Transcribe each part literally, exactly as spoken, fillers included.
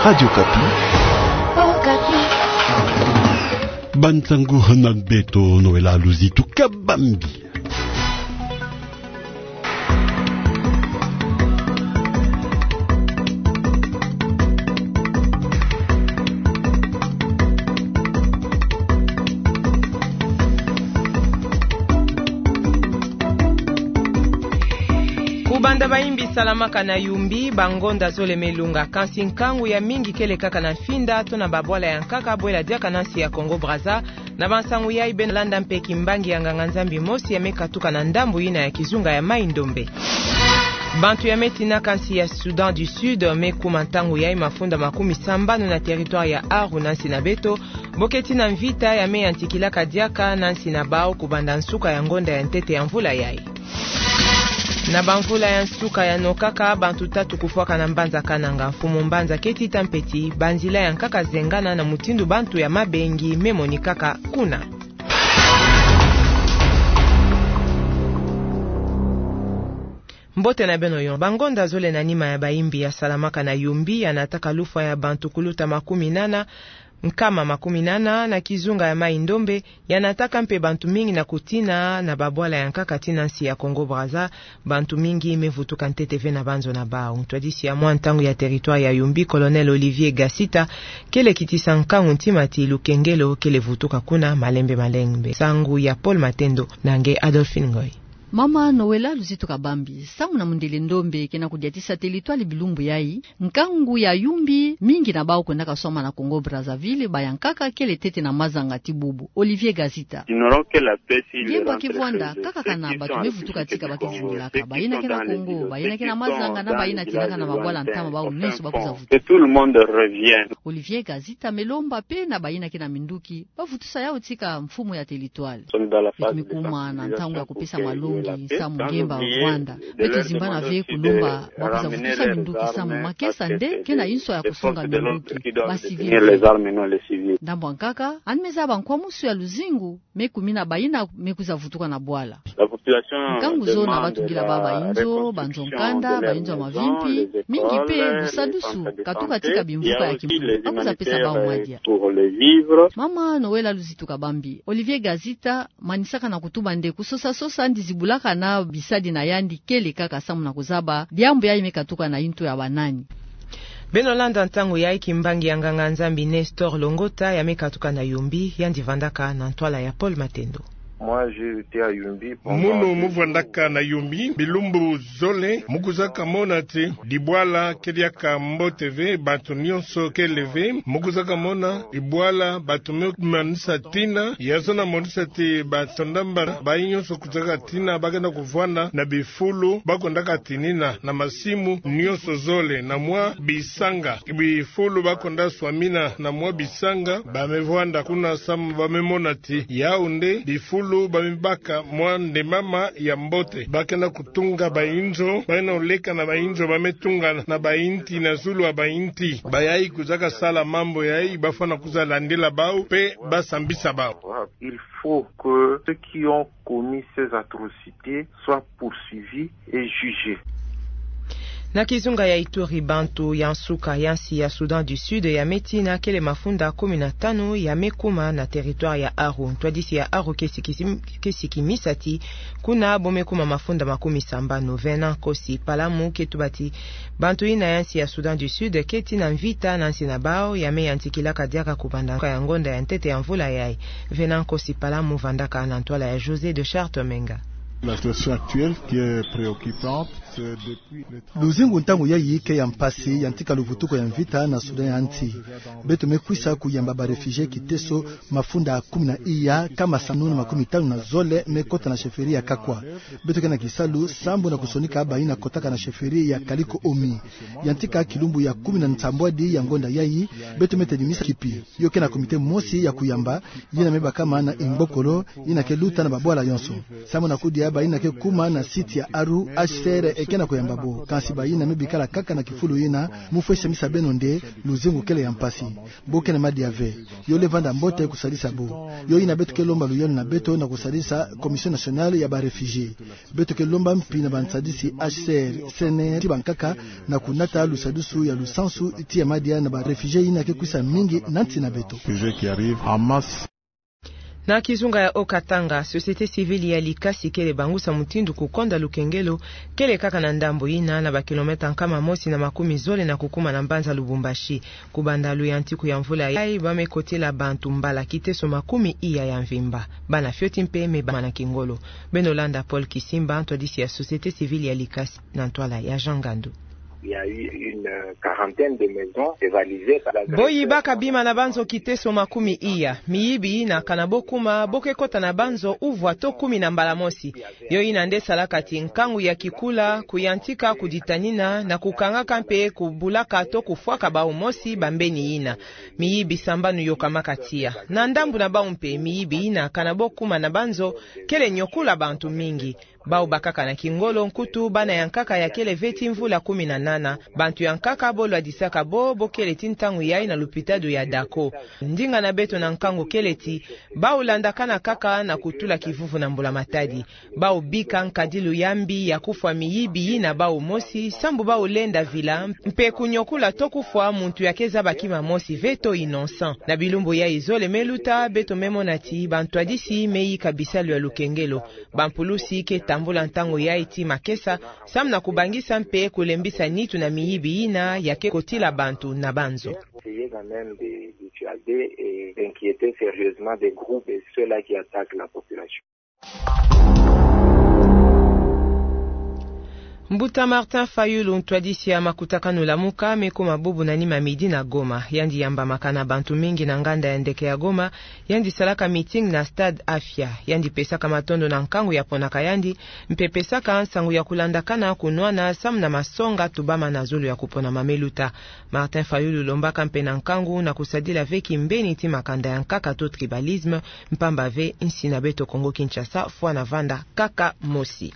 Radio Okapi. Okapi. Bansangu na beto Noëlla Luzitu Kabambi. Kubanda bayimbi salamaka na Yumbi, bangonda zole me lunga, kansi nkangu ya mingi kele kaka na mfinda to na babwala ya nkaka bwela diaka na nsi ya Congo Brazza. Na bansangu yayi beno landa mpe kimbangi ya nganga-Nzambi mosi ya me katuka na ndambu yina ya kizunga ya Mai-Ndombe. Bantu ya me tinaka nsi ya Soudan du Sud me kuma ntangu yayi mafunda makumi sambanu na territoire ya Aru na nsi na beto, boketi na mvita ya me yantikilaka diaka na nsi na bawu kubanda nsuka ya ngonda ya ntete ya mvula yayi. Na bamvula ya nsuka yano kaka, bantu tatu kufwaka na mbanza Kananga. Mfumu mbanza keti ta mpeti, banzila ya nkaka zengana na mutindu bantu ya mabengi me monikaka kuna. Mbote na beno yo. Bangonda zole na nima ya bayimbi ya salamaka na Yumbi ya nataka lufwa ya bantu kuluta makumi nana, nkama makumi nana na kizunga ya Mai-Ndombe, ya nataka mpe bantu mingi na kutina na babwala ya nkaka ti na nsi ya Congo Brazza. Bantu mingi me vutuka ntete ve na banzo na bawu. Ntwadisi ya mwa ntangu ya territoire ya Yumbi, Colonel Olivier Gasita, kele kitisa nkangu ntima ti lukengelo kele vutuka kuna malembe malembe. Nsangu ya Paul Matendo na nge Adolphine Ngoy. Mama Noëlla Luzitu Kabambi, samu na mundele ndombe ke na kudiatisa territoire bilumbu yayi, nkangu ya Yumbi, mingi na bawu kwendaka swama na Congo Brazzaville, ba ya nkaka kele ntete na mazanga ti bubu. Olivier Gasita. Ngembo ake vwanda kakaka na bantu me vutuka tika ba kizingilaka, bayina ke na Congo, bayina ke na mazanga, na bayina tinaka na mabwala ntama, bawu nyonso ba kwiza vutuka. Olivier Gasita me lomba mpe na bayina ke na minduki, ba vutusa yawu tika mfumu ya territoire. Beto me kuma na ntangu ya kupesa malongi, samu ngemba vwanda. Beto zimbana ve kulomba ba kwiza vutusa minduki, samu makesa nde ke na inso ya kusonga minduki, ba civil. Ndambu ya nkaka, yandi me zaba nkwamusu ya luzingu me kumina bayina me kwiza vutuka na bwala. Nkangu zo na batungila ba bayinzo, banzo nkanda, bayinzo ya mavimpi, mingi mpe lusadusu, katuka tika bimvuka ya kimpu, ba kwiza pesa bawu madia. Mama Noëlla Luzitu Kabambi, Olivier Gasita manisaka na kutuba nde kusosa-sosa yandi zibulaka na bisadi na yandi kele kaka samu na kuzaba diambu yayi me katuka na intu ya banani. Beno landa ntangu yayi kimbangi ya nganga-Nzambi Nestor Longota ya me katuka na Yumbi, yandi vandaka na ntwala ya Paul Matendo. Moi, j'ai été à Yumbi pendant deux jours. Mono mu vandaka na Yumbi bilumbu zole, mu kwizaka mona ti dibwala ke diaka mbote ve, bantu nyonso kele ve, mu kwizaka mona dibwala bantu me manisa tina, ya zona monisa ti bantu ndamba, bayi nyonso kwizaka tina, ba kena kuvwanda na bifulu ba kwendaka tinina, na masimu nyonso zole, na mwa bisanga. Bifulu ba kwenda swamina na mwa bisanga, ba me vwanda kuna samu ba me mona ti yawu nde bifulu ba me baka mwa ndemama ya mbote. Ba kena kutunga bayinzo, ba kena kuleka na bayinzo ba me tunga na bayinti, na zulu ya bayinti. Bayayi kwizaka sala mambu yayi, ba fwana kwiza landila bawu, mpe ba sambisa bawu. Il faut que ceux qui ont commis ces atrocités soient poursuivis et jugés. Na kizunga ya Ituri, bantu ya nsuka ya nsi ya Soudan du Sud ya me tina kele mafunda kumi na tanu ya me kuma na territoire ya Aru. Ntwadisi ya Aru ke siki-, ke sikimisa ti kuna bo me kuma mafunda makumi sambanu. Venant Kosi Palamu ke tuba ti bantu yina ya nsi ya Soudan du Sud keti na mvita na nsi na bawu ya me yantikilaka diaka kubanda nsuka ya ngonda ya ntete ya mvula yayi. Venant Kosi Palamu vandaka na ntwala ya José de Chartres Menga. La situation actuelle qui est préoccupante, c'est depuis les trente Luzingu ntangu yayi ke ya mpasi, yantika luvutuko ya mvita na Soudan ya nsi. Beto me kwisa kuyamba ba réfugiés kiteso mafunda kumi na iya, nkama sambanu na makumi tanu na zole me kota na chefferie ya Kakwa. Beto ke na kisalu sambu na kusonika bayina kotaka na chefferie ya Kaliko-Omi. Yantika kilumbu ya kumi na nsambwadi ya ngonda yayi, beto me tadimisa kipi. Yo ke na comité mosi ya kuyamba, yina me bakama na Imbokolo, yina ke luta na babwala yonso. Sambu na kudia bayina ke kuma na site ya Aru, H C R ke na kuyamba bo. Kansi bayina me bikala kaka na kifulu yina, mu fweti samisa beno nde luzingu kele ya mpasi. Bo ke na madia ve. Yo le vanda mbote kusadisa bo. Yo yina beto ke lomba luyalu na beto na kusadisa Commission Nationale ya ba Réfugiés. Beto ke lomba mpi na bansadisi H C R, C N R, ti bankaka na kunata lusadisu ya lusansu ti ya madia na ba réfugiés yina ke kwisa mingi na nsi na beto. Sujet qui arrive en masse. Na kizunga ya Haut-Katanga, société civile ya Likasi kele bangusa mutindu kukonda lukengelo kele kaka na ndambu yina na ba kilomètre nkama mosi na makumi zole na kukuma na mbanza Lubumbashi. Kubanda luyantiku ya mvula yayi, ba me kotila bantu mbala kiteso makumi iya ya mvimba. Bana fioti mpe me bama na kingolo. Beno landa Paul Kisimba, ntwadisi ya société civile ya Likasi, na ntwala ya Jean Ngandu. Il y a eu une quarantaine de maisons dévalisées par les agresseurs. Bo yibaka bima na banzo kiteso makumi iya. Miyibi yina kana bo kuma, bo ke kota na banzo uvwa to kumi na mbala mosi. Yo yina nde salaka ti nkangu ya kikula, kuyantika, kuditanina, na kukangaka mpe kubulaka to kufwaka bau mosi bambeni yina. Miyibi sambanu yokamaka tiya. Na ndambu na bau mpe, miyibi yina kana bo kuma na banzo, kele nyokula bantu mingi. Bau bakaka na kingolo, nkutu bana ya nkaka ya kele ve ti mvula kumi na nana. Bantu ya nkaka bo lwadisaka bo, bo kele ti ntangu yayi na lupitalu ya Dako. Ndinga na beto na nkangu kele ti, bau landakana kaka na kutula kivuvu na mbula matadi. Bau bika nkadilu ya mbi ya kufwa miyibi yina bau mosi, sambu bau lenda vila, mpe kunyokula to kufwa muntu ya ke zaba kima mosi ve to innocent. Na bilumbu yayi zole me luta, beto me mona ti bantwadisi me yika bisalu ya lukengelo. Bampulusi ke tambula ntangu yayi ti makesa, samu na kubangisa mpe kulembisa nitu na miyibi yina ya ke kotila bantu na banzo. Essayer quand même de dissuader et d'inquiéter sérieusement des groupes et ceux-là qui attaquent la population. Mbuta Martin Fayulu, ntwadisi ya makutakanu Lamuka, me kuma bubu na nima midi na Goma. Yandi yambamaka na bantu mingi na nganda ya ndeke ya Goma, yandi salaka meeting na Stade Afia. Yandi pesaka matondo na nkangu ya ponaka yandi, mpe pesaka nsangu ya kulandakana kunwana samu na masonga tubama na zulu ya kuponama me luta. Martin Fayulu lombaka mpe na nkangu na kusadila ve kimbeni ti makanda ya nkaka to tribalisme, mpamba ve nsi na beto Kongo Kinshasa fwana vanda kaka mosi.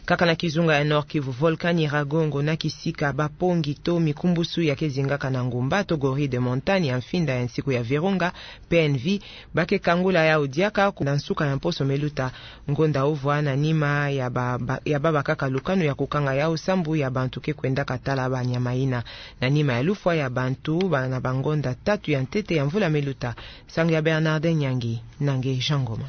Kaka na kizunga ya Nord-Kivu, volcan Nyiragongo, na kisika bapongi to mikumbusu ya ke zingaka na ngumba to gorille de montagne ya mfinda ya nsiku ya Virunga, P N V, ba ke kangula yau diaka ku-, na nsuka ya mposo me luta. Ngonda uvwa na nima ya ba, ba, ya baba kaka lukanu ya kukanga yau, sambu ya bantu ke kwendaka tala banyama yina. Na nima ya lufwa ya bantu ba, na bangonda tatu ya ntete ya mvula me luta. Nsangu ya Bernardin Nyangi, na nge Jean Ngoma.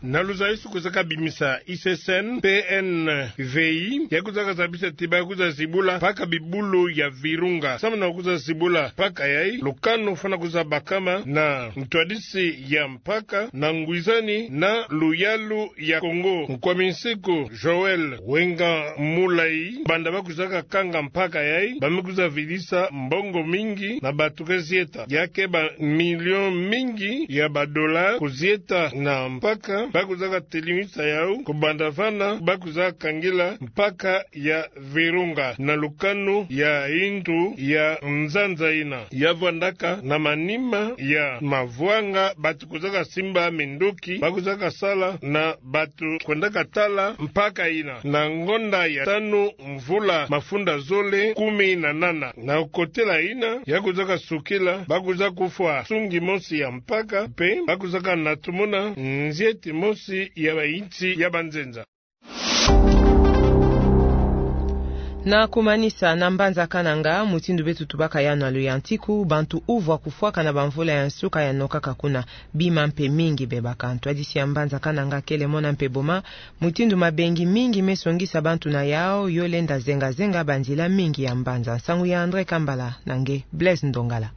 Na luzayisi kwizaka bimisa I C C N, P N V I, ya kwizaka zabisa ti ba kwiza zibula mpaka bibulu ya Virunga. Samu na kwiza zibula mpaka yayi, lukanu fwana kwiza bakama na ntwadisi ya mpaka na ngwizani na luyalu ya Kongo. Nkwami nsiku Joël Wenga Mulayi, banda ba kwizaka kanga mpaka yayi, ba me kwiza vidisa mbongo mingi na bantu ke zieta. Ya ke ba million mingi ya ba dollars kuzieta na mpaka, ba kwizaka telimisa yau, kubanda vana ba kwizaka kangila mpaka ya Virunga na lukanu ya yintu ya nzanza yina. Ya vwandaka na manima ya mavwanga, bantu kwizaka simba minduki, ba kwizaka sala na bantu kwendaka tala mpaka yina. Na ngonda ya tanu mvula mafunda zole kumi na nana. Na kukotela yina, ya kwizaka sukila, ba kwiza kufwa nsungi mosi ya mpaka, mpe ba kwizaka natumuna nzieti mosi ya bayinsi ya banzenza. Na kumanisa, na mbanza Kananga, mutindu beto tubaka yau na luyantiku, bantu uvwa kufwaka na bamvula ya nsuka ya nokaka kuna. Bima mpe mingi bebaka. Ntwadisi ya mbanza Kananga kele mona mpe boma mutindu mabengi mingi me songisa bantu na yau, yo lenda zenga-zenga banzila mingi ya mbanza. Nsangu ya André Kambala na nge Blaise Ndongala.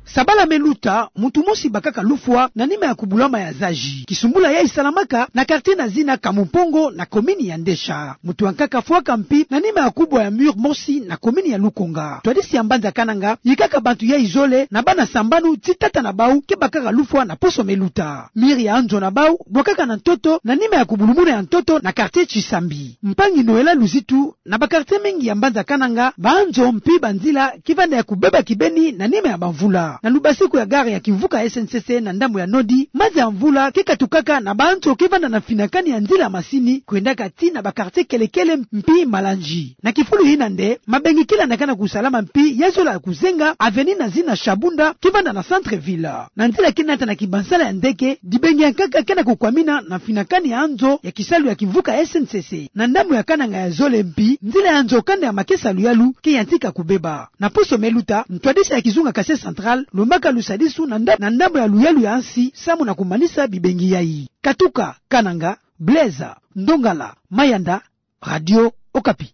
Sabala me luta, muntu mosi bakaka lufwa na nima ya kubulama ya zazi. Kisumbula yayi salamaka na quartier na zina Kamumpongo na commune ya Ndesha. Muntu ya nkaka fwaka mpi na nima ya kubwa ya mur mosi na commune ya Lukonga. Ntwadisi ya mbanza Kananga yikaka bantu yayi zole na bana sambanu ti tata na bau ke bakaka lufwa na poso me luta. Mur ya nzo na bau bwakaka na ntoto na nima ya kubulumuna ya ntoto na quartier Tshisambi. Mpangi Noëlla Luzitu, na ba quartier mingi ya mbanza Kananga, banzo mpi banzila ke vanda ya kubeba kibeni na nima ya bamvula. Na lubasiku ya gare ya kimvuka S N C C na ndambu ya Nord, mazi ya mvula ke katukaka na banzo ke vanda na finakani ya nzila masini, kwendaka tii na ba quartier kele-kele mpi Malandji. Na kifulu ina nde, mabengi kila na kana kusalama mpi ya zola kuzenga avenue Nazina Shabunda ke vanda na centre-ville. Na nzila ke nata na kibansala ya ndeke, dibengi ya nkaka ke na kukwamina na finakani ya nzo ya kisalu ya kimvuka S N C C. Na ndambu ya Kananga ya zole mpi, nzila ya nzo kanda ya makesa luyalu ke yantika kubeba. Na poso me luta, ntwadisi ya kizunga Kasaï Central lombaka lusadisu na nda-, na ndambu ya luyalu ya nsi, samu na kumanisa bibengi yayi. Katuka Kananga, Blaise Ndongala Mayanda, Radio Okapi.